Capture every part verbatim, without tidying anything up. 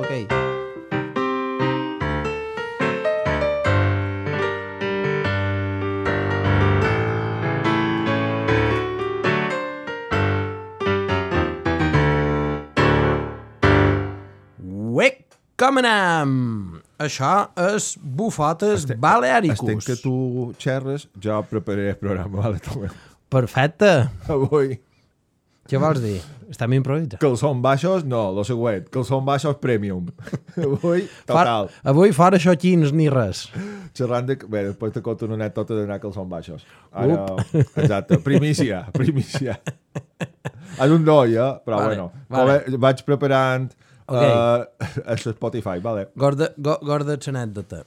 Ok. Uec, com anem? Això és Bufotes Estem, Balearicus. Estem que tu xerres, jo prepararé el programa, vale, Tomeu. Perfecte. Avui... Què vols dir? Estem improvisant. Que els són baixos, no, lo següent. Que els són baixos premium. Avui, total. For, avui fora xoquins ni res. Xerrant de... Bé, després te conto una anècdota d'anar que els són baixos. Ara, exacte, primícia, primícia. És un doi, eh? Però vale, bueno, vale. vaig preparant okay. uh, a Spotify, vale. Gorda, go, gorda l'anècdota.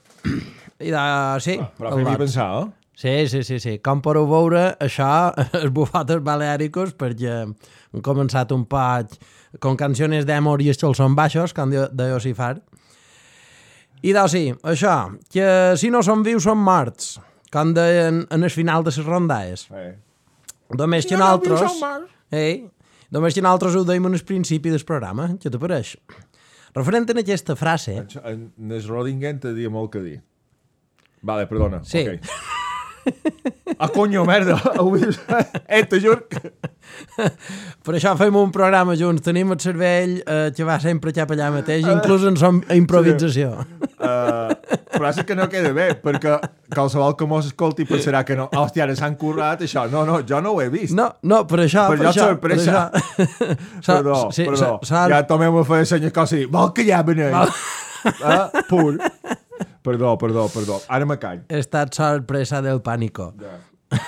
I de, sí. Ah, però fem-hi pensar, eh? Sí, sí, sí, sí. Com podeu veure, això és Bufotes Balearicus, perquè hem començat un poc con canciones d'amor i els són baixos, com de, de Josifar. I doncs sí, això, que si no són vius són morts, com deien en el final de les rondades. Eh. Només si que no nosaltres... Eh, només que nosaltres ho deim en el principi del programa, què t'apareix? Referent a aquesta frase... En, en el Rodingen te dia molt que dir. Vale, perdona. Sí. Okay. Ah, coño, merda. Eh, te juro que... Per això fem un programa junts. Tenim el cervell eh, que va sempre cap allà mateix, inclús en som improvisació. Sí. Uh, però és que no queda bé, perquè qualsevol que mos escolti pensarà que no. Hòstia, ara s'han currat això. No, no, jo no ho he vist. No, no, per això... Per, per això, això sorpresa. Per això. Perdó, sí, perdó. sa, ja tomem a fer senyor cosa i dir, vol que ja veneix. Ah, pur. Perdó, perdó, perdó. Ara me call. He estat sorpresa del pànico. Ja.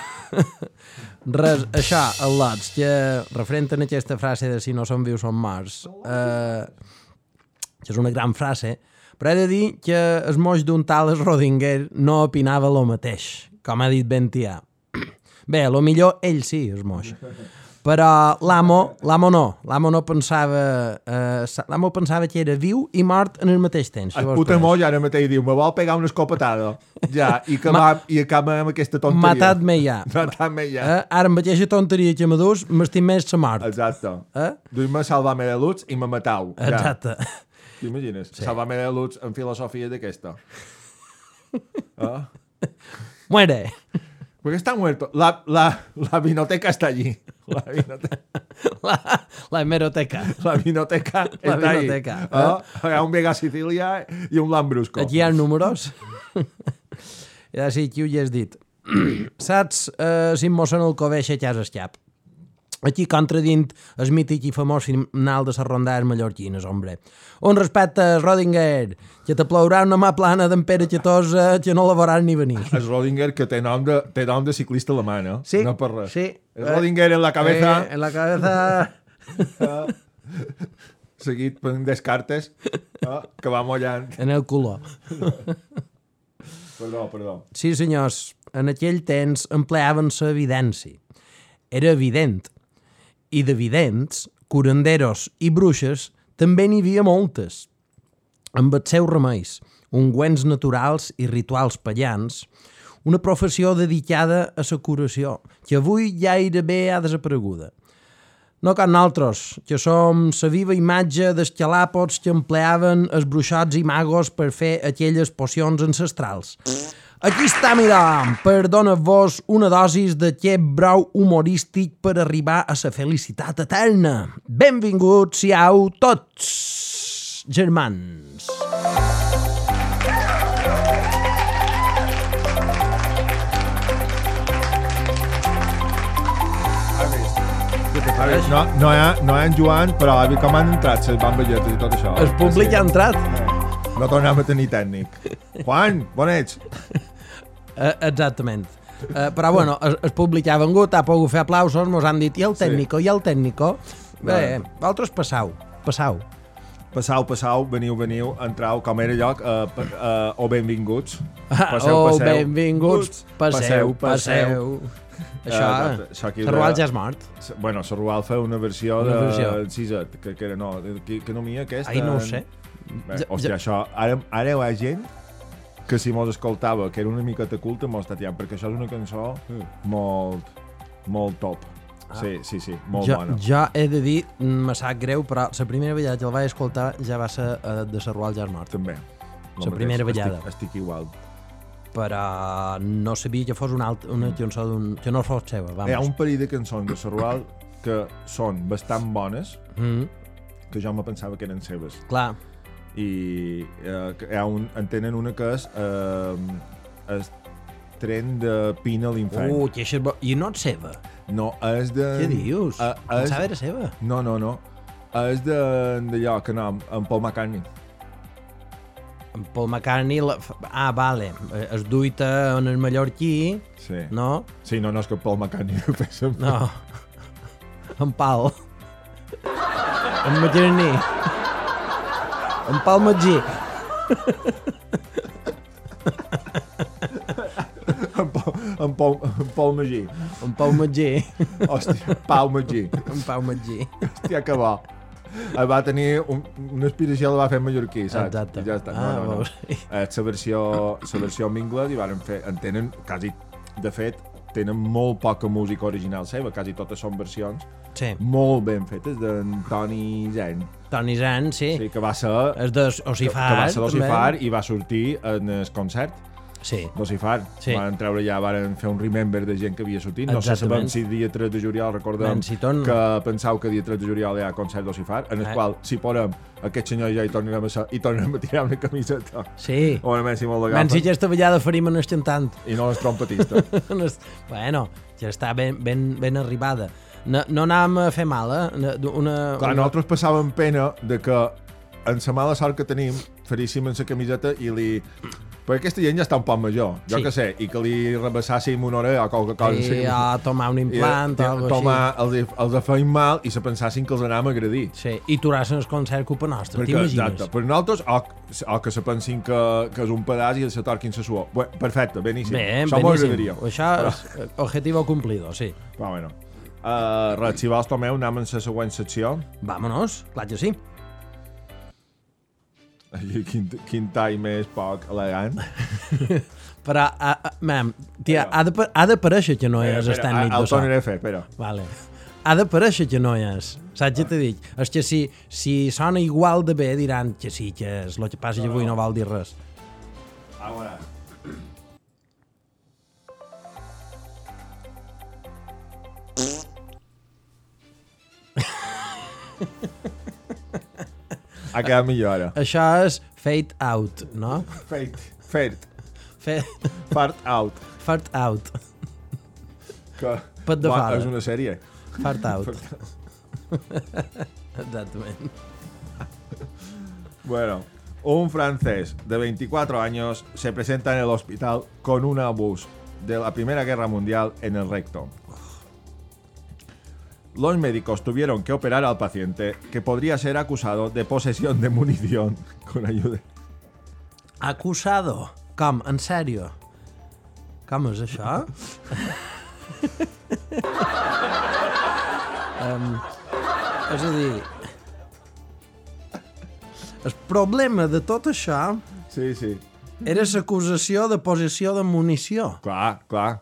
Res, això, el Lots, que referent a aquesta frase de si no som vius som morts, eh, que és una gran frase, però he de dir que el moix d'un tal Rodinger no opinava el mateix, com ha dit Bentià. Bé, a lo millor ell sí, el moix. Però l'amo, l'amo no, l'amo no pensava, eh, l'amo pensava que era viu i mort en el mateix temps. El puta moll ara mateix diu, me vol pegar una escopetada. Ja, i, que Ma... va, i acaba amb aquesta tonteria. Matat-me ja. Matat-me ja. Eh? Ara amb aquesta tonteria que me dus, m'estim més la mort. Exacte. Eh? Duim-me salvar-me de luz i me matau. Exacte. Ja. T'imagines? Sí. Salvar-me de luz en filosofia d'aquesta. Ah? Muere. Porque está muerto. La, la, la vinoteca está allí. La vinoteca. La, la hemeroteca. La vinoteca La está vinoteca. ahí. Ah? Hi ha un Vega Sicilia i un Lambrusco. Aquí hi ha números. I ara sí, qui ho hi has dit. Saps eh, si em mossen el coveix a casa escap? Aquí contradint el mític i famós final de les rondades mallorquines, hombre. Un respecte, Rodinger, que te plourà una mà plana d'en Pere Xatosa que no la veuràs ni venir. És Rodinger, que té nom de, té nom de ciclista alemany, eh? Sí, no per res. sí. És Rodinger en la cabeza. Eh, en la cabeza... Seguit per Descartes, eh? Que va mollant. En el color. Perdó, perdó. Sí, senyors, en aquell temps empleaven l'evidència. Era evident. I d'evidents, curanderos i bruixes també n'hi havia moltes. Amb els seus remeis, ungüents naturals i rituals pagans, una professió dedicada a la curació, que avui gairebé ha desapareguda. No com nosaltres, que som la viva imatge dels xalàpots que empleaven els bruixots i magos per fer aquelles pocions ancestrals. Aquí està, mira, per donar-vos una dosis d'aquest brou humorístic per arribar a la felicitat eterna. Benvinguts siau tots, germans. A veure, no, no, hi ha, no hi ha en Joan, però a veure com han entrat les bamballetes i tot això. El públic ha entrat. No tornem a tenir tècnic. Juan, bon ets? Uh, exactament. Uh, però bueno, el, el públic ha vengut, ha pogut fer aplausos, mos han dit i el tècnico, sí. I el tècnico. Bé, vosaltres passau, passau. Passau, passau, veniu, veniu, entrau, com era lloc, uh, uh, o benvinguts. Passeu, oh, passeu. benvinguts, passeu, passeu. passeu. Això, uh, això la Rual ja és mort. Bueno, la Rual fa una versió una de versió. Ciset, que, que era no, que, que no m'hi aquesta... Ai, no ho sé. Bé, hòstia, ja... això, ara, ara hi ha gent que si mos escoltava, que era una miqueta culta, mos està tiant, perquè això és una cançó mm. molt, molt top. sí, sí, sí, molt jo, bona. Jo he de dir, me sap greu, però la primera vegada que el vaig escoltar ja va ser uh, de Sarrual ja és mort. També. La primera vegada. Estic, estic igual. Però no sabia que fos una, altra, una cançó d'un... que no fos seva, vamos. Hi ha un parell de cançons de Sarrual que són bastant bones, Mm, que jo me pensava que eren seves. clar, I eh, hi ha un, en tenen una que és eh, el tren de Pina a l'infern. uh, que això és bo... I no és seva. No, és de... Què dius? Uh, Pensava era seva. No, no, no. És de d'allò, que no, en Paul McCartney. En Paul McCartney... La... Ah, vale. Es duita en el mallorquí, Sí. no? Sí, no, no és que Paul McCartney ho fes amb... No. En Pal. En Magí. En Pal Magí. en, Paul, en, Paul, en Paul Magí. En Pau Magí. Hòstia, Pau Magí. En Pau Magí. Hòstia, que bo. El va tenir un, una aspiració, la va fer en mallorquí, saps? Exacte. I ja està. Ah, No, no, no. veus. Eh, la versió, la versió en anglès i varen fer... En tenen quasi... De fet, tenen molt poca música original seva, quasi totes són versions Sí. molt ben fetes d'en Toni Zen. Toni Zan, sí. Sí, que va ser... És de Que, Ocifar. que va ser d'Ocifar també. i va sortir en el concert Sí. d'Ocifar. Sí. Van treure ja, van fer un remember de gent que havia sortit. No sé Exactament. si dia tres de juliol, recordem Ben, si torn- que pensau que dia tres de juliol hi ha concert d'Ocifar, en el Eh. qual, si podem, aquest senyor ja hi tornarem a ser, i tornarem a tirar una camiseta. Sí. O una Messi molt de Men si gafa. aquesta vegada faríem en el cantant. I no és trompetista. Bueno, ja està ben, ben, ben arribada. No, no anàvem a fer mal, eh? Una, Clar, una... nosaltres passàvem pena de que en la mala sort que tenim faríssim en la camiseta i li... Perquè aquesta gent ja està un poc major, jo Sí. que sé, i que li rebassàssim una hora o qualque cosa. I a tomar un implant I, o alguna tomar, els, els feim mal i se pensassin que els anàvem a agredir. Sí, i turassin el concert culpa nostra, Perquè, t'imagines? exacte, per nosaltres, o, o que se pensin que, que és un pedaç i se torquin la suor. Bé, perfecte, beníssim. Bé, Això m'ho agradaria. beníssim. Això és objetivo cumplido, sí. Però bueno. Uh, res, si vols, Tomeu, anem en la següent secció. Vámonos, clar que sí. Ai, Quin, quin tall més poc elegant. Però, a, a, mam, tia, ha de, ha d'aparèixer que no és el Espera, tècnic el de so. tornaré a fer, espera. Vale. Ha d'aparèixer que no és. Saps què t'he dit? És que si, si sona igual de bé diran que sí, que és. El que passa que avui no vol dir res. A veure. Ha quedat millor ara. Això és fade out, no? Fate. Fate. Fe... Fart out. Fart out. Que... Pet de Bueno, fora. és una sèrie. Fart out. Exactament. Bueno, un francés de veinticuatro años se presenta en el hospital con un obús de la Primera Guerra Mundial en el recto. Los médicos tuvieron que operar al paciente, que podría ser acusado de posesión de munición con ayuda. Acusado. Com? En sèrio? Com és això? um, és a dir... El problema de tot això Sí, sí. era l'acusació de possessió de munició. Clar, clar.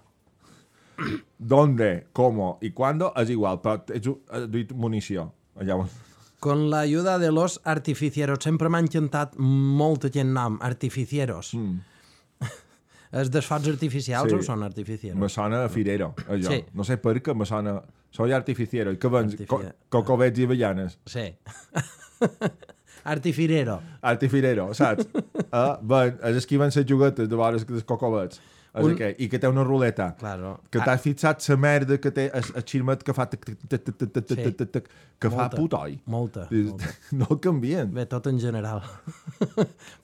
¿Dónde, cómo y cuándo? És igual, però ets has dit munició. Llavors, Con la ayuda de los artificieros. Sempre m'ha encantat molt aquest nom, artificieros. Mm. És dels focs artificials Sí. o són artificieros? me sona a firero, allò. Sí. No sé per què me sona... Soy artificiero. I què vens? Co Artifi- cocobets i avellanes. Sí. Artifirero. Artifirero, saps? uh, ben, és el que van ser juguetes de vores dels cocobets. És Un- Un... aquell. I que té una ruleta. Claro. Que t'has fixat la merda que té el, el xirmet que fa tic, tic, tic, tic, tic, tic, tic, Sí. tic, tic, que fa Molta. putoi. Molta, I- molta. No el canvien. Bé, tot en general.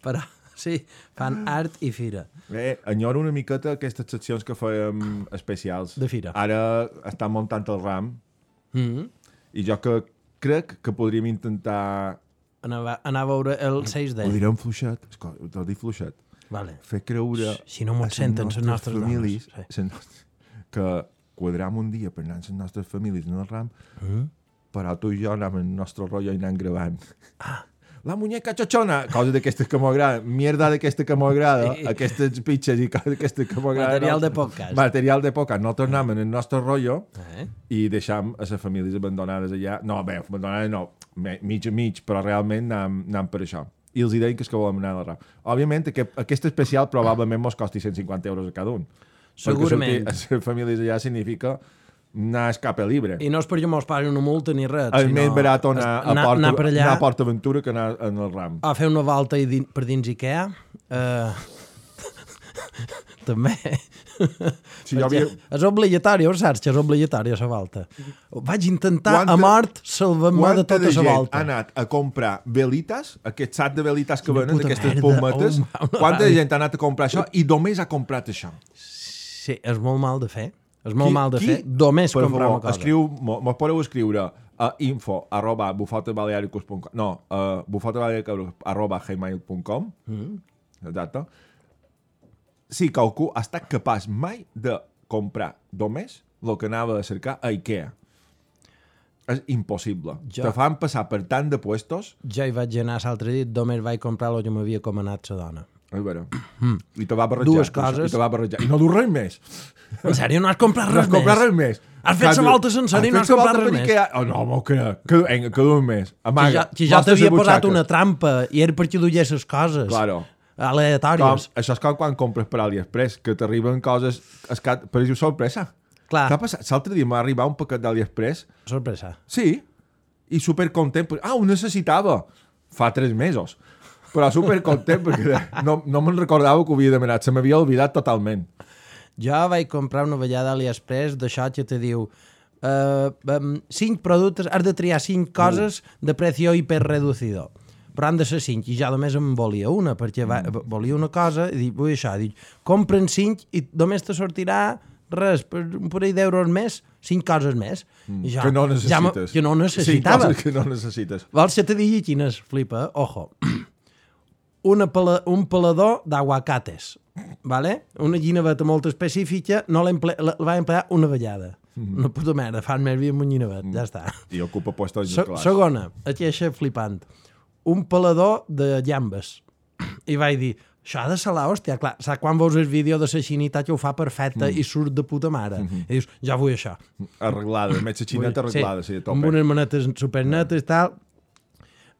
Però, sí, fan art i fira. Bé, enyoro una miqueta aquestes seccions que fèiem especials. De fira. Ara estan muntant el RAM Mm -hmm. i jo que crec que podríem intentar... anar, anar a veure el seis D. Ho direm fluixet, escolta, t'ho dic fluixet. Vale. Fer creure Si no m'ho a les senten les nostres famílies dones, les nostres, que quadram un dia per anar amb les nostres famílies en el RAM, Mm? però tu i jo anem en el nostre rotllo i anem gravant. Ah, la muñeca chochona, coses d'aquestes que m'agraden, mierda d'aquesta que m'agrada, sí. Aquestes pitxes i coses d'aquestes que m'agraden. Material no, de podcast. Material de podcast. No tornem en el nostre rotllo eh? i deixam a les famílies abandonades allà. No, bé, abandonades no, mig a mig, però realment anem, anem per això. I els deien que és que volem anar a la rap. Òbviament, aquest, aquest especial probablement mos costi cent cinquanta euros a cada un. Segurament. Perquè sortir a les famílies allà significa anar a escape libre. I no és perquè mos pagui una multa ni res. És més barat anar, anar, a Port, anar, allà, anar a Port Aventura que anar en el RAM. A fer una volta i din, per dins Ikea. Uh, també. Si jo havia... És obligatori, ho saps que és obligatori la volta. Vaig intentar quanta, a mort salvar-me de tota la volta. Ha anat a comprar velites, aquest sac de velites que venen, d'aquestes pometes. Oh, quanta gent ha anat a comprar això i només ha comprat això? Sí, és molt mal de fer. És molt qui, mal de qui? fer. Només per comprar favor, una cosa. Escriu, mos podeu escriure a info arroba bufotebalearicus punt com no, a bufotebalearicus arroba gmail punt com mm. Exacte. Si qualcú ha estat capaç mai de comprar només el que anava a cercar a Ikea. És impossible. Jo, te fan passar per tant de puestos. Jo hi vaig anar l'altre dia, només vaig comprar el que m'havia comanat la dona. És vera. Mm. I te va barrejar. Dues coses. I te va barrejar. I no du res més. En sèrio, no has comprat res, no has comprat res més? Has fet la volta sencera i no has comprat res més? Ha... Oh, no, m'ho crec. Que, que, que du més. Amaga. Que jo t'havia posat una trampa i era perquè duies les coses. Claro. Aleatòries. Com, això és com quan compres per AliExpress, que t'arriben coses... Escat, per exemple, sorpresa. Clar. Què ha passat? L'altre dia m'ha arribat un paquet d'AliExpress. Sorpresa. Sí. I supercontent. Ah, ho necessitava. Fa tres mesos. Però supercontent perquè no, no me'n recordava que ho havia demanat. Se m'havia oblidat totalment. Jo vaig comprar una vellada a AliExpress d'això que te diu uh, um, cinc productes, has de triar cinc coses uh. de precio hiperreducido. Però han de ser cinc, i ja només em volia una, perquè va, mm. volia una cosa, i dic, vull això, dic, compren cinc i només te sortirà res, per un parell d'euros més, cinc coses més. Mm. I jo, que no necessites. Ja que no necessitava. Cinc coses que no necessites. Vols que te digui quines, flipa, ojo. Una pala, un pelador d'aguacates, vale? Una guineveta molt específica, no l'emple, la, la va emplear una vegada. Mm. Una puta merda, fan més vi amb un guinevet, mm. ja està. I ocupa puestos Se, clars. Segona, aquesta flipant. Un pelador de llambes. I vaig dir, això ha de ser l'hòstia, clar, saps quan veus el vídeo de la xinita que ho fa perfecta mm. i surt de puta mare? Mm-hmm. I dius, ja vull això. Arreglada, més la xineta arreglada, sí, sí, amb unes manetes supernetes i tal.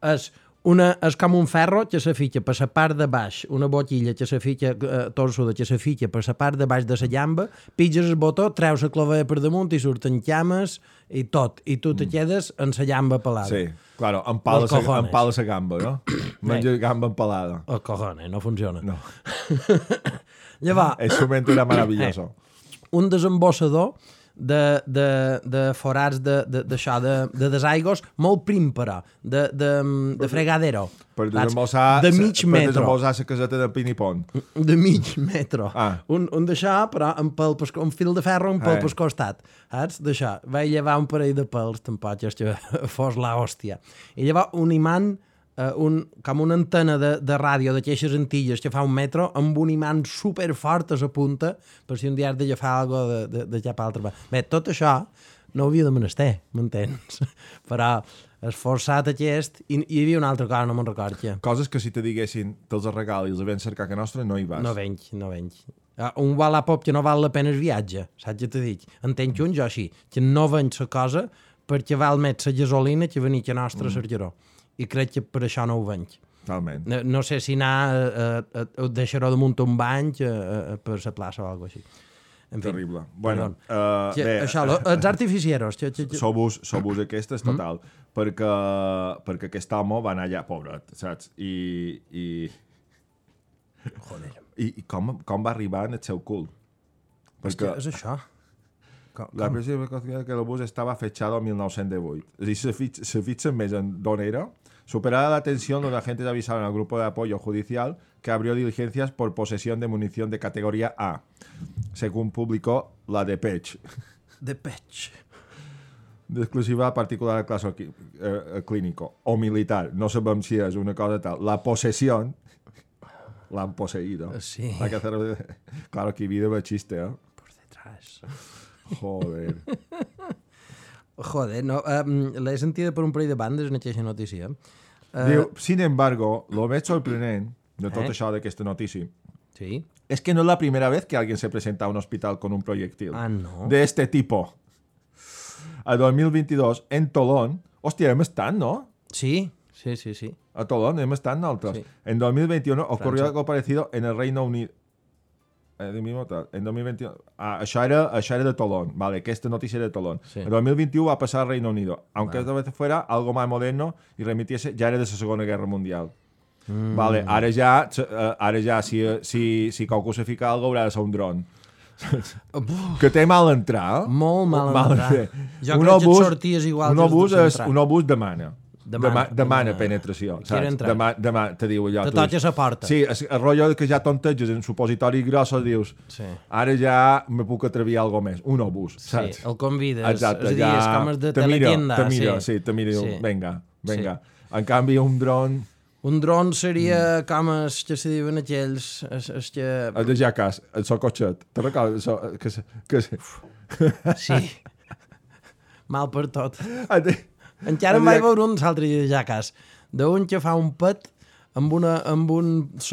És... Una, és com un ferro que se fica per la part de baix, una botilla que se fica, eh, torçuda que se fica per la part de baix de la llamba, pitges el botó, treus la clavella per damunt i surten llames i tot, i tu te quedes en la llamba pelada. Sí, claro, empala la gamba, no? Menja gamba empalada. El cojones, no funciona. No. Llavors... El momento era maravilloso. Eh, un desembossador de, de, de forats de, de, d'això, de, de desaigos molt prim, però, de, de, de fregadero. Per desembossar, de mig per metro. desembossar la caseta de Pinipont. De mig metro. Ah. Un, un d'això, però amb pel, un fil de ferro, un pel eh. pel costat. Saps? D'això. Vaig llevar un parell de pèls, tampoc és que fos la hòstia. I llavors un imant, Uh, un, com una antena de, de ràdio d'aquestes antilles que fa un metro amb un imant superfort a la punta per si un dia has d'agafar alguna cosa de, de, de cap altra. Bé, tot això no ho havia de menester, m'entens? Però esforçat aquest i, i hi havia una altra cosa, no me'n record què. Coses que si te diguessin te'ls regal i els havien cercat que nostra, no hi vas. No venc, no venc. Uh, un Wallapop que no val la pena el viatge, saps què t'he dit? Entenc un jo així, que no venc la cosa perquè val més la gasolina que venir que nostra mm. Sergeró. I crec que per això no ho venc. Talment. No, no sé si anar a, a, a deixar-ho damunt un bany a, a, per la plaça o alguna cosa així. En fi, terrible. Bueno, uh, que, bé, això, lo, els artificieros. Que, que, que... Sou-vos sou aquestes, total. Mm. Perquè, perquè aquest home va anar allà, pobret, saps? I... I, Joder. I, i com, com va arribar en el seu cul? Perquè... És això. Com, la presa de que el bus estava fechado en mil nou-cents divuit. És a dir, se fixen més en d'on era. Superada la tensión, los agentes avisaron al grupo de apoyo judicial que abrió diligencias por posesión de munición de categoría A, según publicó la Depeche. Depeche. De exclusiva particular al caso eh, clínico o militar. No sabem si és una cosa tal. La posesión l'han poseído. Sí. La que hacer... Claro, aquí vida va chiste, ¿eh? Por detrás. Joder. Joder, no, um, l'he sentida per un parell de bandes en aquesta notícia. Uh, Diu, sin embargo, lo més sorprenent de tot Eh? això d'aquesta notícia sí. es que no es la primera vez que alguien se presenta a un hospital con un proyectil Ah, no. de este tipo. A dos mil veintidós, en Tolón, hòstia, hem estat, ¿no? Sí, sí, sí, sí. A Tolón hem estat nosaltres. Sí. En dos mil veintiuno ocurrió França. algo parecido en el Reino Unido. Eh, de mismo tal. En dos mil veintiuno... Ah, això era, això era de Tolón. Vale, aquesta notícia era de Tolón. Sí. En dos mil veintiuno va pasar al Reino Unido. Aunque Vale. esta vez fuera algo más moderno y remitiese, ya era de la Segunda Guerra Mundial. Mm. Vale, ara ja, eh, ara ja si, si, si qualcú se fica algo haurà de ser un dron. Que té mal entrar, eh? Molt mal entrar. fer. Jo crec que et sorties igual un des obús, de és, centrar. un obús demana. Demana, Demana, demana demana. penetració, Quiero saps? entrar. Demà, demà te diu allò. Te tu toques dius- la porta. Sí, és el rotllo que ja tonteges en supositoris grossos, dius, Sí. ara ja me puc atrevir a algo més. Un obús, Sí, saps? el convides. Exacte, és a dir, ja... és com els de te mira, teletienda. te mira, sí, sí, te mira, Sí. sí. venga, venga. En canvi, un dron... Un dron seria mm. com els que se diuen aquells... Els, els que... El de Jackass, el socotxet. Te recordes? So, que, se- que, se- Sí. Mal per tot. el de- Encara el em de vaig Jack- veure un altre de Jackass, d'un que fa un pet amb, una, amb un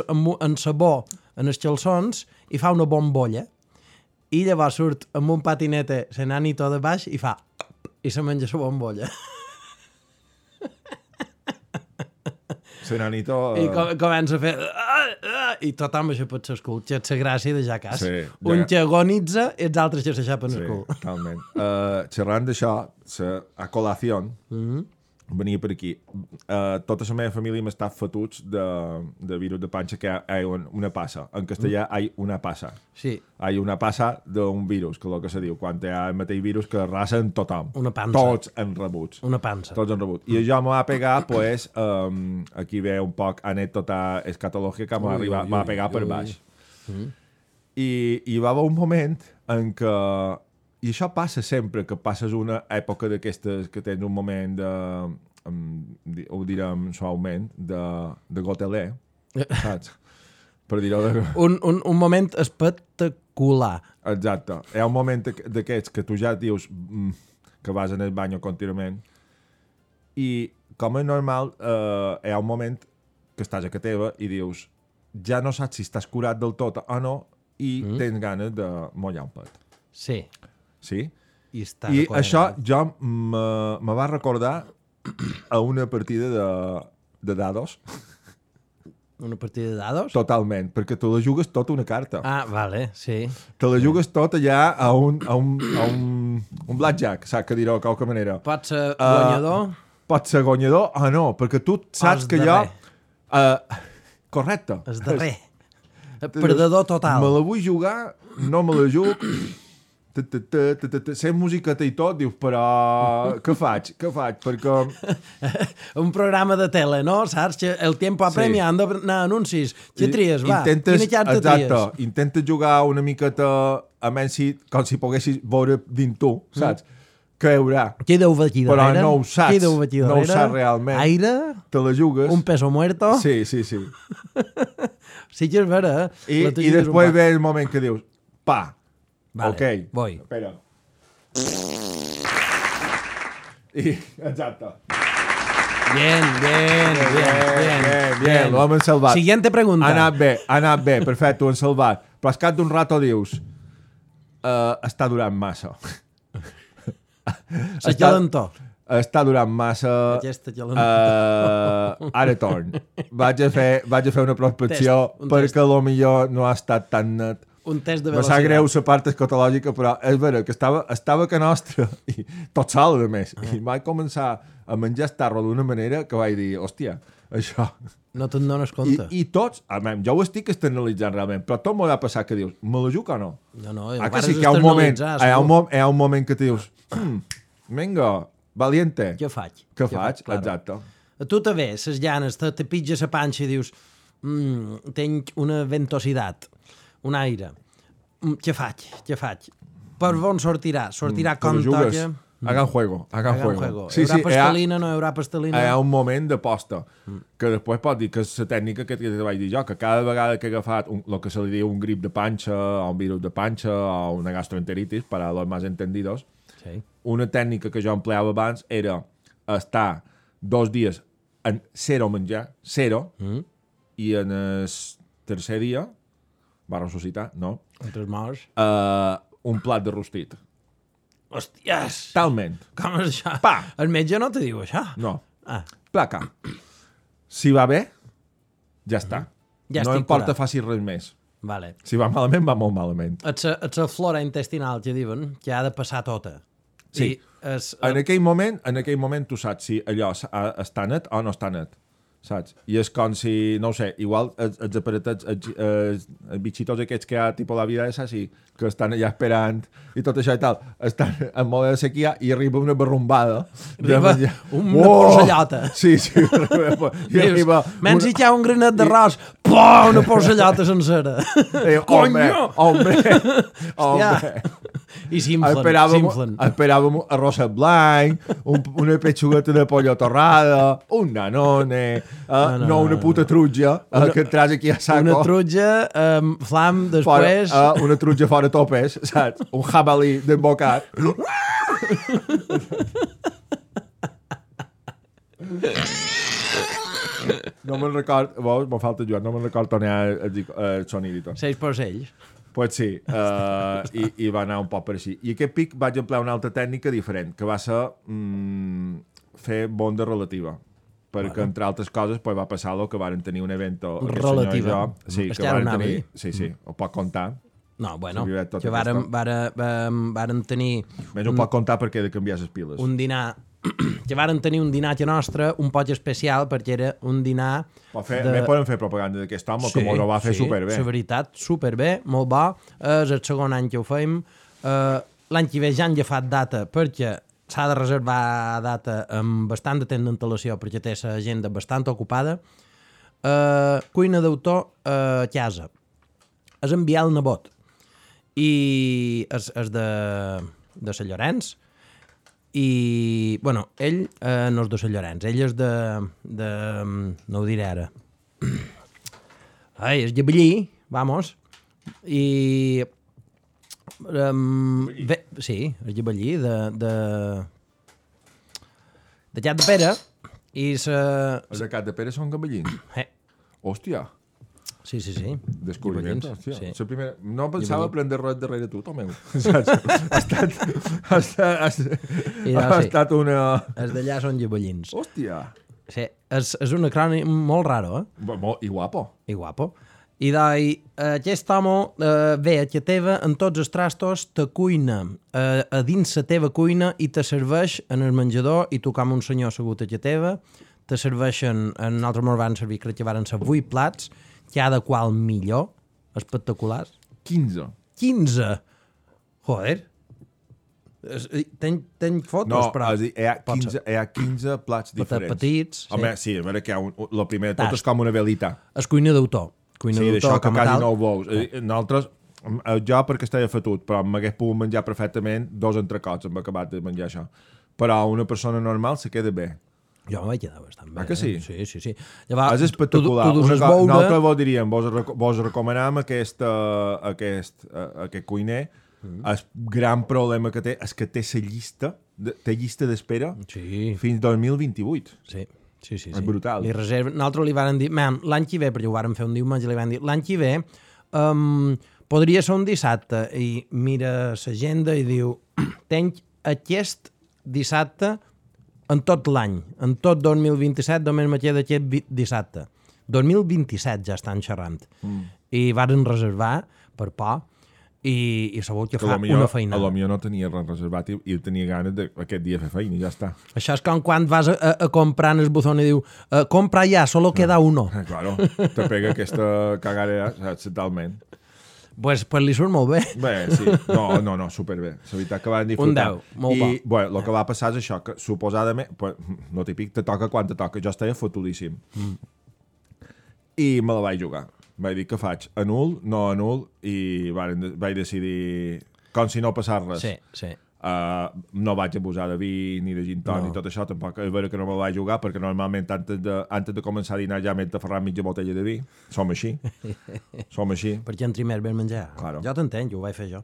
amb, un- amb sabó en els calçons i fa una bombolla i llavors surt amb un patinete senanito de baix i fa i se menja la bombolla. Senanito... I eh, com, comença a fer... I tothom això pot ser el cul, que és la gràcia de Jackass. Sí, un ja- que agonitza i els altres que s'aixapen Sí, el cul. totalment. Uh, xerrant d'això, sa- a col·lació, mm -hmm. venia per aquí. Uh, tota la meva família m'està fotuts de, de virus de panxa, que hi ha una passa. En castellà hi ha una passa. Sí, Hi ha una passa d'un virus, que és el que se diu, quan hi ha el mateix virus que arrasen tothom. Una pansa. Tots en rebuts. una pansa. Tots han rebut. I això me va pegar, pues, um, aquí ve un poc anècdota escatològica que m'ha Ui, arribat, ui, m'ha ui, pegat per ui. baix. I hi va haver un moment en què... I això passa sempre, que passes una època d'aquestes que tens un moment de... Um, di- ho direm suaument, de, de gotelé, saps? Per dir-ho de... Un, un, un moment espectacular. Exacte. Hi ha un moment d'aqu- d'aquests que tu ja dius mm, que vas en el bany contínuament i, com és normal, eh, hi ha un moment que estàs a casa teva i dius ja no saps si estàs curat del tot o no i mm. tens ganes de mollar un pet. Sí. Sí? I, està I això jo me, me va recordar a una partida de, de dados. Una partida de dados? Totalment, perquè te la jugues tota una carta. Ah, vale, sí. Te la jugues tot allà a un, a un, a un, un blackjack, saps que dir-ho de qualque manera. Pot ser Ah, guanyador? Pot ser guanyador o no, perquè tu saps Els que jo... darrer. Uh, correcte. El darrer. El perdedor total. Me la vull jugar, no me la jugo... Ta, ta, ta, ta, ta, ta. Sent musiqueta i tot, dius, però què faig? Què faig? Perquè... Un programa de tele, no? Saps? Que el tiempo apremia, sí. Han d'anar anuncis. Què tries, va? Intentes, Quina carta exacte, tries? intentes jugar una miqueta a menys si, com si poguessis veure dins tu, saps? Mm. Què hi haurà? Què deu aquí Però darrere? no ho saps, Què deu aquí no ho darrere? saps realment. Aire? Te la jugues... Un peso muerto? Sí, sí, sí. Sí que és vera, eh? I, La i tuya és un després pa. ve el moment que dius, pa, Vale, ok. voy. Espera. I, exacte. Bien, bien, bien, bien. bien, bien, l'home han salvat. Siguiente pregunta. Ha anat bé, ha anat bé, perfecte, ho han salvat. Però al cap d'un rato dius, uh, està durant massa. La calentor. Està durant massa... Aquesta calentor. Uh, ara torn. Vaig a fer, vaig a fer una prospecció Test, un perquè lo millor no ha estat tan net. Un test de Me sap velocitat. greu la part escatològica, però és vera que estava, estava que nostra, i tot sol, a més. I vaig començar a menjar estarro d'una manera que vaig dir, hòstia, això... No te'n dones I, compte. I tots, a mi, jo ho estic externalitzant realment, però tot m'ho ha passat que dius, me la juc o no? No, no, Ah, ho que sí, vares que hi ha un moment, externalitzar, hi ha un, segur. mo hi ha un moment que te dius, hmm, vinga, valiente. Què faig? Què faig? claro. Exacte. A tu te ve, ses llanes, te, te pitja la panxa i dius mm, tenc una ventositat, un aire. Mm, què faig? Què faig? Per on sortirà? Sortirà Te com la jugues. toca? Hagan juego, hagan, Hagan juego. juego. Sí, Hi haurà sí, hi ha, pastelina, no hi haurà pastelina? hi ha un moment d'aposta, que després pot dir que és la tècnica que te vaig dir jo, que cada vegada que he agafat un, el que se li diu un grip de panxa, o un virus de panxa, o una gastroenteritis, para los más entendidos, Sí. una tècnica que jo empleava abans era estar dos dies en zero menjar, zero, Mm. i en el tercer dia va ressuscitar, no, Entre els morts. uh, un plat de rostit. Hòsties! Talment. Com és això? Pa! El metge no te diu això? No. Ah, Placa. Si va bé, ja està. Ja no estic importa curat. faci res més. vale. Si va malament, va molt malament. És la, és la flora intestinal que diuen que ha de passar tota. Sí. I és, En aquell moment, en aquell moment tu saps si allò s'ha- està net o no està net. Saps? I és com si, no ho sé, igual els, els aparatets, els, els, els bitxitos aquests que hi ha, tipus la vida esa, sí, que estan allà esperant i tot això i tal, estan en mode de sequia i arriba una barrumbada. de Arriba menjar. una porcellota. Sí, sí. Arriba, i dius, arriba menys hi ha un granet d'arròs, pum, una porcellota sencera. Eh, hombre, hombre, Hòstia. hombre. I s'inflen, Esperàvem, s'inflen. esperàvem arròs blanc, un, una petxugueta de pollo torrada, un danone, uh, no, no, no, una no, puta trutja, uh, que et tras aquí a saco. Una trutja, um, flam, fora, després... uh, una trutja fora topes, saps? Un jabalí d'embocat. No me'n record, veus, me falta Joan, no me'n record on hi ha el, el sonid i tot. Seis porcells. Pues sí, uh, i, i va anar un poc per així. I aquest pic vaig emplear una altra tècnica diferent, que va ser mm, fer bonda relativa. Perquè, bueno. entre altres coses, pues, va passar el que varen tenir un event relativa. Sí, Es que que varen ara tenir... anava Sí, sí, ho pot contar. No, bueno, S'havia tot que varen, aquesta. varen, varen, varen tenir Menys ho pot contar perquè he de canviar les piles. un dinar que varen tenir un dinatge nostre un poc especial perquè era un dinar Pot fer, de... de... Poden fer propaganda d'aquest home, sí, que m'ho va fer sí, superbé. la veritat, superbé, molt bo. És el segon any que ho fem. Uh, L'any que ve ja han agafat data perquè s'ha de reservar data amb bastant de temps d'antelació perquè té l'agenda bastant ocupada. Uh, cuina d'autor a casa. És enviar el nebot. I és, és de, de Sant Llorenç. I, bueno, ell eh, no és de Sant Llorenç, ell és de, de... no ho diré ara. Ai, és Llebellí, vamos. I... Um, ve, sí, és Llebellí, de... de de Cat de Pere. I sa... Els de Cat de Pere són gabellins. Eh, Hòstia, sí, sí, sí. descobriment. Llebellins, Hòstia. sí. La primera... No pensava Llebellí. prendre res darrere tu, Tomeu. Saps? Ha estat... Ha estat, ha estat, I no, ha sí. estat una... Els d'allà són llebellins. Hòstia. Sí, és, és un acrònim molt raro, eh? Bo- bo- I guapo. I guapo. I doi, aquest home eh, ve a casa teva en tots els trastos, te cuina eh, a dins la teva cuina i te serveix en el menjador i tu com un senyor assegut a casa teva, te serveixen, en nosaltres ens van servir, crec que van ser vuit plats, cada qual millor, espectaculars. quinze. quinze! Joder! Es- Tenc, tenc fotos, No, però... és a dir, hi ha pot quinze, ser. hi ha quinze plats diferents. petits, sí. Home, sí, a veure que hi ha un... El primer de tot Tast. és com una velita. És cuina d'autor. Cuina Sí, d'això d'autor que com a quasi tal. no ho veus. Eh, Nosaltres, eh, jo perquè estava fetut, però m'hagués pogut menjar perfectament dos entrecots, hem acabat de menjar això. Però una persona normal se queda bé. Jo me vaig quedar bastant bé. Ah, que sí? Eh? Sí, sí, sí. Llavors, És espectacular. Tu, tu, tu Una dus co- veure... Nosaltres vos diríem, vos, reco- vos recomanem aquest, uh, aquest, uh, aquest cuiner. Mm. El gran problema que té és que té la llista, de, té llista d'espera Sí, fins dos mil vint-i-vuit. sí. Sí, sí, És sí. brutal. Li reserven... Nosaltres li varen dir, man, l'any que ve, perquè ho varen fer un diumenge, li van dir, l'any que ve um, podria ser un dissabte, i mira l'agenda i diu, tenc aquest dissabte en tot l'any, en tot dos mil vint-i-set, només me queda aquest vi- dissabte. dos mil vint-i-set ja estan xerrant. Mm. I varen reservar per por, i, i sabut que, Que fa a lo millor, una a feina. lo millor no tenia res reservat i, i tenia ganes d'aquest dia fer feina i ja està. Això és com quan vas a, a, a comprar en el buzón i diu uh, compra ja, solo queda uno. Eh, claro, te pega aquesta cagadera, saps, totalment. Pues, pues li surt molt bé. Bé, sí. No, no, no, superbé. La veritat que van disfrutar. Un deu, molt I, bo. bueno, el que va passar és això, que suposadament, pues, no típic, te toca quan te toca. Jo estava fotudíssim. Mm. I me la vaig jugar. Vaig dir, què faig? Anul? No anul? I varen, vaig decidir, com si no passés res. Sí, sí. Uh, no vaig abusar de vi ni de gin tònic No. ni tot això, tampoc és vera que no me la vaig jugar perquè normalment antes de, antes de començar a dinar ja m'he tafarrat mitja botella de vi. Som així. Som així. Perquè entri més bé menjar. Claro. Jo t'entenc, ho vaig fer jo.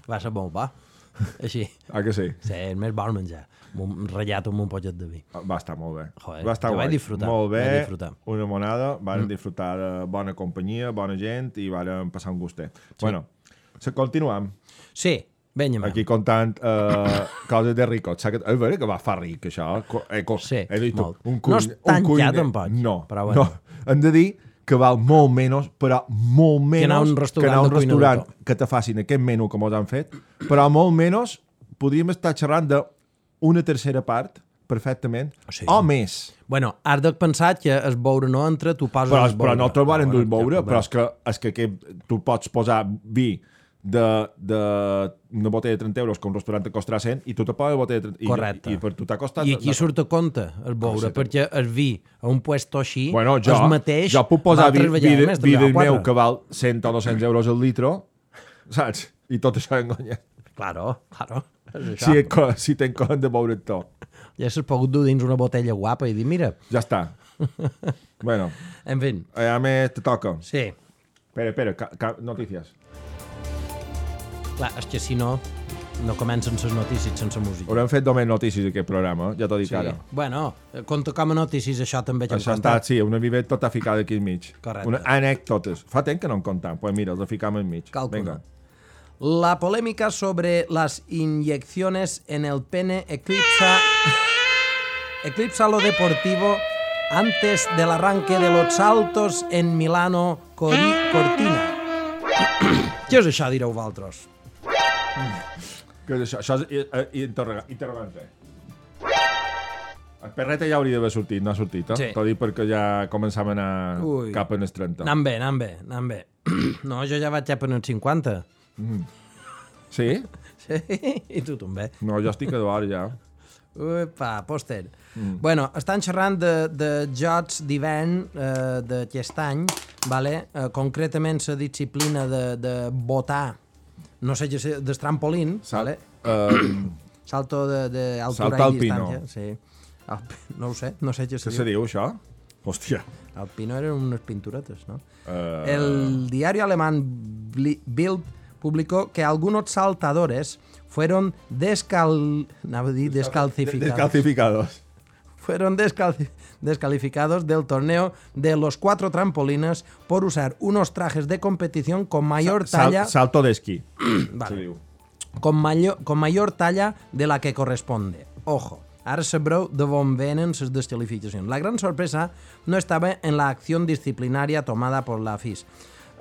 Va ser molt bo. Així. Ah, que sí? Sí, és més bon menjar. Un ratllat amb un pollet de vi. Va estar molt bé. Joder, va estar jo guai. vaig disfrutar. Molt bé, vaig disfrutar. una monada, varen mm. disfrutar de bona companyia, bona gent i varen passar un gustet. Sí. Bueno, se continuem. Sí, vinga, aquí contant uh, coses de ricot. És veritat que va fa ric, això. Eh, co, sí, he dit, molt. Un cuin, no és tan ja, tampoc. No, però bueno. no. Hem de dir que val molt menys, però molt menys que anar a un restaurant, que, anar a un restaurant que te facin aquest menú que mos han fet, però molt menys podríem estar xerrant d'una tercera part perfectament, sí. o més. Bueno, has de pensar que el beure no entra, tu poses però, el beure. Però no te'l van endur beure, però és que, és que, que tu pots posar vi de, de una botella de trenta euros que un restaurant te costarà cent i tu te poses botella de trenta. Correcte. I, i per tu t'ha costat... I aquí surt a compte el beure, perquè el vi a un puesto així, bueno, jo, el mateix... Jo puc posar vi, vi, vi, vi del meu que val cent o dos-cents euros al litro, saps? I tot això enganya. Claro, claro. Si, si tenc com de beure tot. Ja s'has pogut dur dins una botella guapa i dir, mira... Ja està. Bueno. En fi. A més, te toca. Sí. Espera, espera, ca, ca, notícies. Clar, és que si no, no comencen les notícies sense música. Haurem fet només notícies aquest programa, ja t'ho dic sí. ara. Bueno, compta com a notícies, això també ja això està, sí, una vivet tota ficada aquí al mig. Correcte. Una anècdotes. Fa temps que no en comptam, pues mira, els ficam al mig. Calcula. La polémica sobre las inyecciones en el pene eclipsa, eclipsa lo deportivo antes del arranque de los saltos en Milano Cori Cortina. Què és això, direu vosaltres? Què és això? Això és uh, interroga interrogante. El perreta ja hauria d'haver sortit, no ha sortit, eh? Sí. T'ho dic perquè ja començàvem a anar Ui. cap en els trenta. Anant bé, anant bé, anant bé. No, jo ja vaig cap en els cinquanta. Mm. Sí? Sí, i tu també. No, jo estic a d'hora ja. Upa, pòster. Mm. Bueno, estan xerrant de, de jocs d'hivern eh, d'aquest any, vale? eh, concretament la disciplina de, de botar, no sé, del trampolín, Sal vale? um, salto d'altura i distància. Sí. Alp no ho sé, no sé què se diu. Què se diu, això? Hòstia. Alpino eren unes pinturetes, ¿no? Uh... El diario alemán Bild publicó que algunos saltadores fueron descal... descalcificados. descalcificados. Fueron descalci... descalificados del torneo de los cuatro trampolines por usar unos trajes de competición con mayor Sal talla... Salto d'esquí. Vale. Con, mayor, con mayor talla de la que corresponde. Ojo. Ara sabreu de on venen les descalificacions. La gran sorpresa no estaba en la acción disciplinaria tomada por la F I S,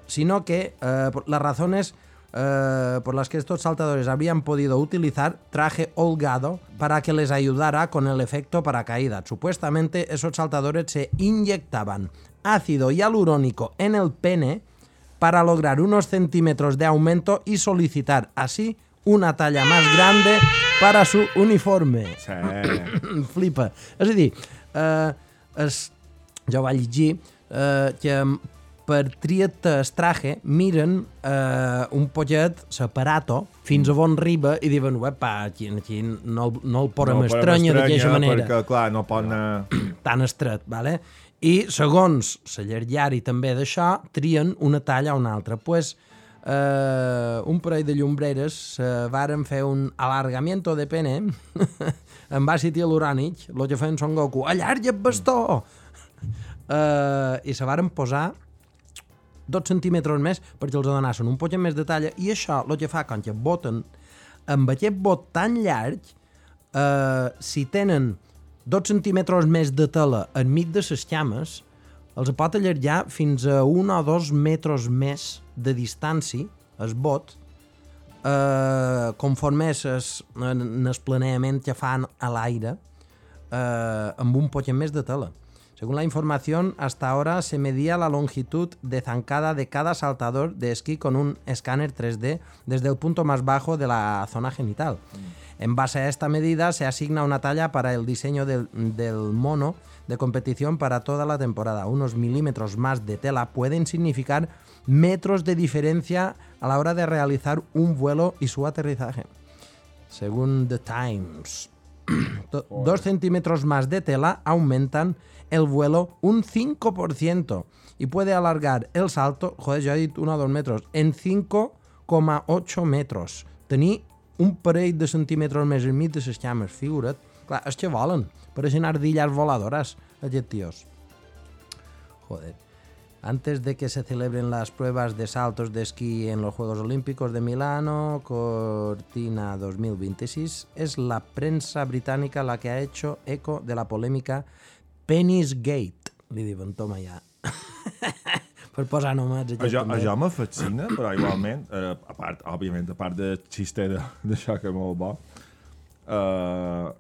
sino que eh, las razones eh, por las que estos saltadores habrían podido utilizar traje holgado para que les ayudara con el efecto paracaídas. Supuestamente esos saltadores se inyectaban ácido hialurónico en el pene para lograr unos centímetros de aumento y solicitar así una talla más grande para su uniforme. Sí. Flipa. És a dir, eh, es, jo vaig llegir eh, que per triar-te el traje miren eh, un pollet separato fins a on arriba i diuen, uepa, aquí, aquí no, no el podem no, estranya d'aquesta manera. Perquè, clar, no pot anar... Tan estret, vale? I segons la llargària també d'això, trien una talla o una altra. Doncs pues, Uh, un parell de llumbreres uh, varen fer un alargamiento de pene amb àcid hialurònic, el que feien Son Goku, allarga el bastó! Uh, I se varen posar dos centímetres més perquè els donessin un poc més de talla, i això el que fa quan que boten amb aquest bot tan llarg, uh, si tenen dos centímetres més de tela enmig de les llames, els pot allargar fins a un o dos metres més de distància, el bot, eh, conforme es, en, en el planeament que fan a l'aire, eh, amb un poc més de tela. Según la información, hasta ahora se medía la longitud de zancada de cada saltador de esquí con un escáner tres D desde el punto más bajo de la zona genital. Mm. En base a esta medida se asigna una talla para el diseño del, del mono de competición para toda la temporada. Unos milímetros más de tela pueden significar metros de diferencia a la hora de realizar un vuelo y su aterrizaje. Según The Times, dos centímetros más de tela aumentan el vuelo un cinco por ciento y puede alargar el salto, joder, yo he dicho uno o dos metros, en cinco coma ocho metros. Tenir un parell de centímetres més enmig de les llames, figura't. Clar, és que volen, pareixen ardillas voladoras, aquests tios. Joder. Antes de que se celebren las pruebas de saltos de esquí en los Juegos Olímpicos de Milano, Cortina dos mil veintiséis, es la prensa británica la que ha hecho eco de la polémica Penisgate. Li diuen, toma ja. Per posar només. Això, això me fascina, però igualment, eh, a part, òbviament, a part de xiste d'això que és molt bo, eh,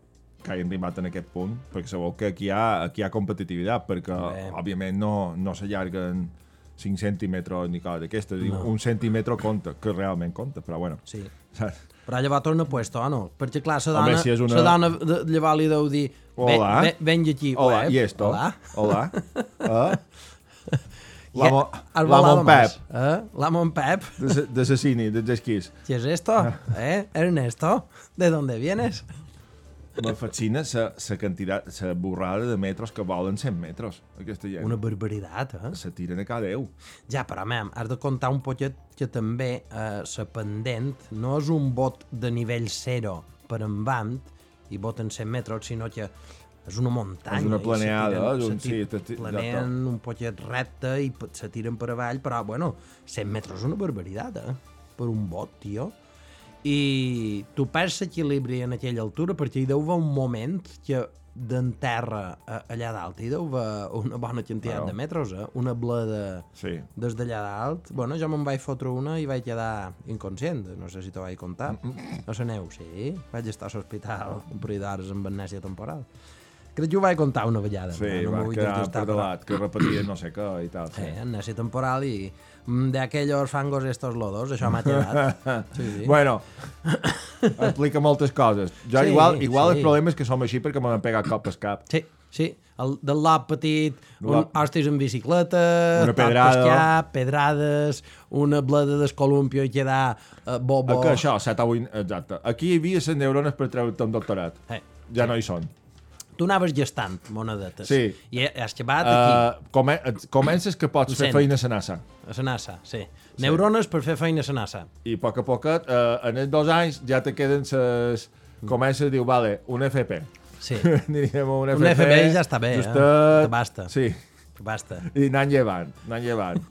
que hagin arribat en aquest punt, perquè sabeu que aquí hi ha, aquí hi ha competitivitat, perquè, Bé. òbviament, no, no s'allarguen cinc centímetres ni cosa d'aquesta. No. Un centímetre compta, que realment compta, però bueno. Sí. Saps? Però llavors torna puesto, o no? Perquè, clar, la dona, Home, si és una... la dona de, llavors li deu dir Hola. Ve, ve, vengi aquí. Hola, web. i esto? Hola. Hola. Eh? L'amo L'amo Pep. Eh? L'amo Pep. De, de Sassini, dels esquís. ¿Qué es esto? ¿Eh? Ernesto, ¿de dónde vienes? Me fascina la quantitat, la borrada de metros que volen cent metres, aquesta gent. Una barbaritat, eh? Se tiren a cada Déu. Ja, però, mem, has de comptar un poquet que també eh, la pendent no és un bot de nivell zero per en band i boten cent metres, sinó que és una muntanya. És una planeada, és un sí. Planeen un poquet recte i se tiren per avall, però, bueno, cent metres és una barbaritat, eh? Per un bot, tio. I tu perds l'equilibri en aquella altura perquè hi deu haver un moment que d'en terra allà dalt hi deu haver una bona quantitat bueno. de metres, eh? Una bleda sí. des d'allà dalt. Bueno, jo me'n vaig fotre una i vaig quedar inconscient, no sé si t'ho vaig contar. A la neu, sí. Vaig estar a l'hospital un parell d'hores amb amnèsia temporal. Crec que ho vaig contar una vegada. Sí, no va quedar perdolat, que repetia no sé què i tal. Sí, sí amnèsia temporal i de aquellos fangos estos lodos, això m'ha quedat. Sí, sí. Bueno, explica moltes coses. Jo sí, igual, igual sí. el problema és que som així perquè m'han pegat cop al cap. Sí, sí. El, del lap petit, un hostis en bicicleta, una pedrada, cap, pedrades, una bleda d'escolumpio i quedar uh, bobo. Que això, set o vuit, exacte. Aquí hi havia les neurones per treure-te un doctorat. Eh, ja sí. no hi són. Tu anaves gestant monedetes. Sí. I has acabat aquí. Uh, come comences que pots fer feina a la NASA. A la NASA, sí. sí. Neurones per fer feina a la NASA. I a poc a poquet, uh, en els dos anys, ja te queden ses... Comences a dir, vale, un F P. Sí. Anirem a un F P. Un F P ja està bé, justet... eh? Que basta. Sí. Que basta. I anant llevant, anant llevant.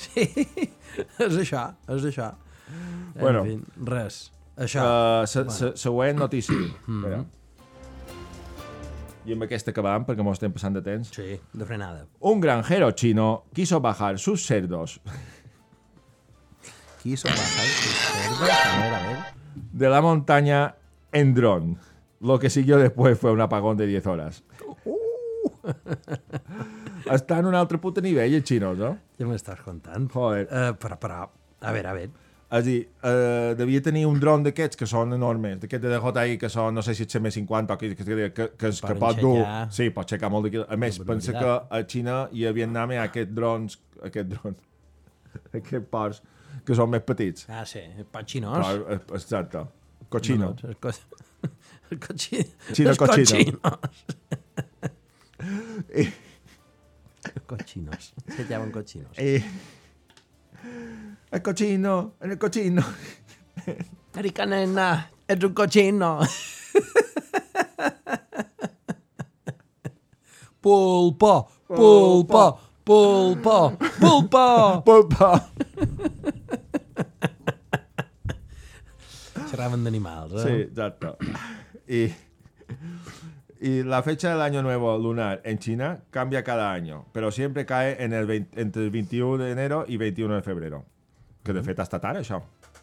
Sí, és això, és això. Bueno. En fi, res. Això. Uh, se, se, següent notícia. Mm. I amb aquesta acabam, perquè mos estem passant de temps. Sí, de frenada. Un granjero chino quiso bajar sus cerdos. Quiso bajar sus cerdos, a ver, a ver. De la montaña en dron. Lo que siguió después fue un apagón de diez horas. Uh! Està en un altre puto nivell, el xino, no? Ja m'estàs contant. Joder. Uh, però, però, a veure, a veure. És a dir, uh, devia tenir un dron d'aquests que són enormes, d'aquests de D J I que són, no sé si és M cinquanta o que, que, que, que, que, que pot dur... Sí, pot aixecar molt de quilòmetres. A més, pensa que a Xina i a Vietnam hi ha aquests drons, aquest dron, aquests ports, que són més petits. Ah, sí, pots xinos. Però, exacte. Cochino. No, no, el, co el cochino. Xino els cochino. I... Cochinos. Se llaman cochinos. I... El cochino, el cochino. Erika nena, ets un cochino. Pulpo, pulpo, pulpo, pulpo. Pulpo. Xerraven d'animals, eh? Sí, exacto. Y, y la fecha del año nuevo lunar en China cambia cada año, pero siempre cae en el veinte, entre el veintiuno de enero y veintiuno de febrero. Que de fet està tard, això.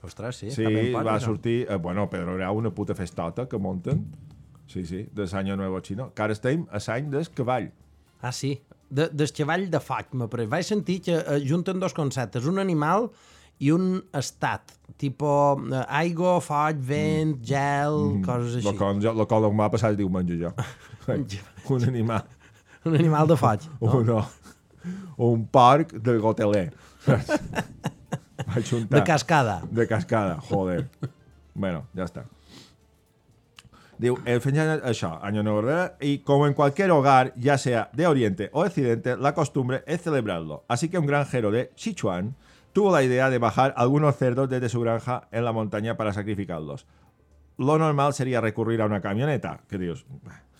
Ostres, sí. Sí, pot, va això. sortir... Eh, bueno, però hi ha una puta festota que munten. Sí, sí, de l'any nou xino. Que ara estem a l'any del cavall. Ah, sí. De, del cavall de foc, m'apareix. Vaig sentir que eh, junten dos conceptes. Un animal i un estat. Tipo eh, aigua, foc, vent, mm. gel, mm. coses així. El qual m'ha passat diumenge, jo. Un animal. Un animal de foc. No? Un, no. Un porc de goteler. De cascada. De cascada, joder. Bueno, ya está. Digo, el final això, año nuevo, y como en cualquier hogar, ya sea de Oriente o Occidente, la costumbre es celebrarlo. Así que un granjero de Sichuan tuvo la idea de bajar algunos cerdos desde su granja en la montaña para sacrificarlos. Lo normal sería recurrir a una camioneta, que dios,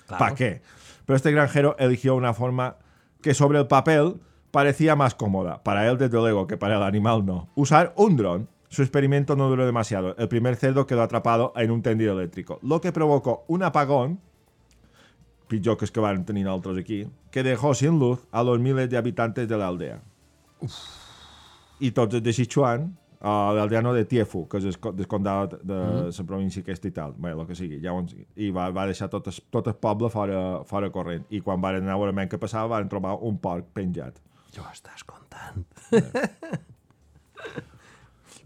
Claro. ¿para qué? Pero este granjero eligió una forma que sobre el papel parecía más cómoda. Para él, desde luego, que para el animal no. Usar un dron. Su experimento no duró demasiado. El primer cerdo quedó atrapado en un tendido eléctrico, lo que provocó un apagón, pitjor que es que van tenir altres aquí, que dejó sin luz a los miles de habitantes de la aldea. Uf. I tots els de Sichuan, uh, l'aldeano de Tiefu, que és el descondat de la mm. província aquesta i tal, bé, el que sigui, ja on, i va, va deixar tot el, tot el poble fora, fora corrent. I quan van anar a veure què passava, van trobar un porc penjat. Jo estàs contant.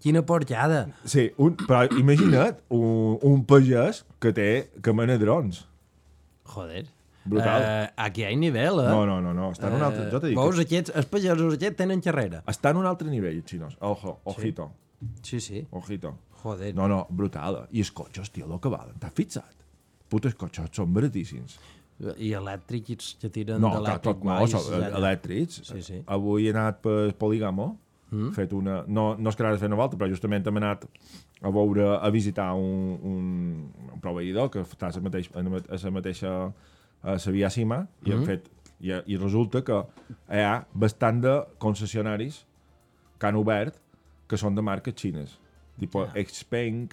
Quina porjada. Sí, un, però imagina't un, un pagès que té que mena drons. Joder. Brutal. Uh, aquí hi ha nivell, eh? No, no, no, no. Està en un altre... Jo t'he dit Veus, que... aquests, els pagesos aquests tenen xerrera. Està en un altre nivell, els xinos. Ojo, ojito. Sí, sí. Ojito. Joder. No, no, brutal. I els cotxes, tio, el que valen. T'has fixat? Putes cotxes són baratíssims. I elèctrics que tiren no, d'elèctric tot no, són elèctrics. Sí, sí. Avui he anat per Polígamo, mm. fet una... No, no és que anava a fer una volta, però justament hem anat a veure, a visitar un, un, un proveïdor que està a la mateixa, a la mateixa a la Via Cima, i, mm. fet, i, i resulta que hi ha bastant de concessionaris que han obert que són de marques xines. Tipo yeah. Xpeng,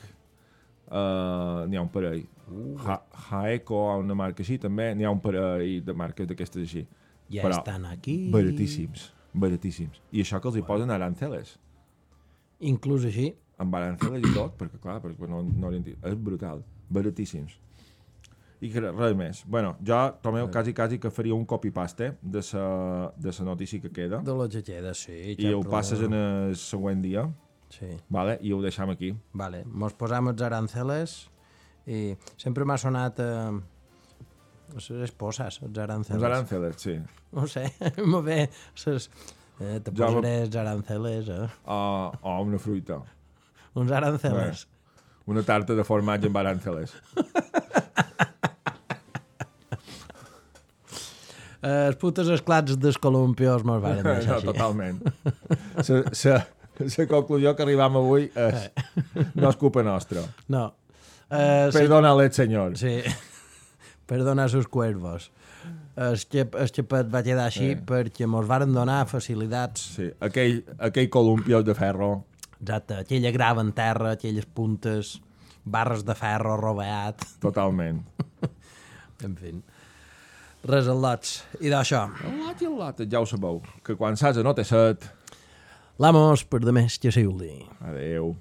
uh, n'hi ha un parell. Uh. Ha, Haeco, una marca així, també. N'hi ha un parell de marques d'aquestes així. Ja però estan aquí. Baratíssims, baratíssims. I això que els hi bueno. posen aranceles. Inclús així. Amb aranceles i tot, perquè clar, perquè no, no és brutal. Baratíssims. I res més. Bueno, jo, Tomeu, quasi, quasi que faria un copy-paste de la de la notícia que queda. De la que queda, sí. I ho passes en el següent dia. Sí. Vale? I ho deixam aquí. Vale. Mos posam els aranceles i sempre m'ha sonat eh, les esposas, els aranceles. Els aranceles, sí. No sé, me ve ses, eh, te posaré me... els aranceles, eh? O, o una fruita. Uns aranceles. Bé, una tarta de formatge amb aranceles. Els putes esclats dels columpios me'ls van deixar així. No, totalment. La conclusió que arribam avui és no és culpa nostra. No. Uh, Perdona-le, senyor. Sí. Perdona sus cuervos. El xep, el xepet va quedar així eh. perquè mos varen donar facilitats. Sí, aquell, aquell columpios de ferro. Exacte, aquella grava en terra, aquelles puntes, barres de ferro roveat. Totalment. En fi. Res al lots. I d'això. El lot i el lot, ja ho sabeu, que quan s'has no té set. L'amos per demés que s'hi uldi. Adéu.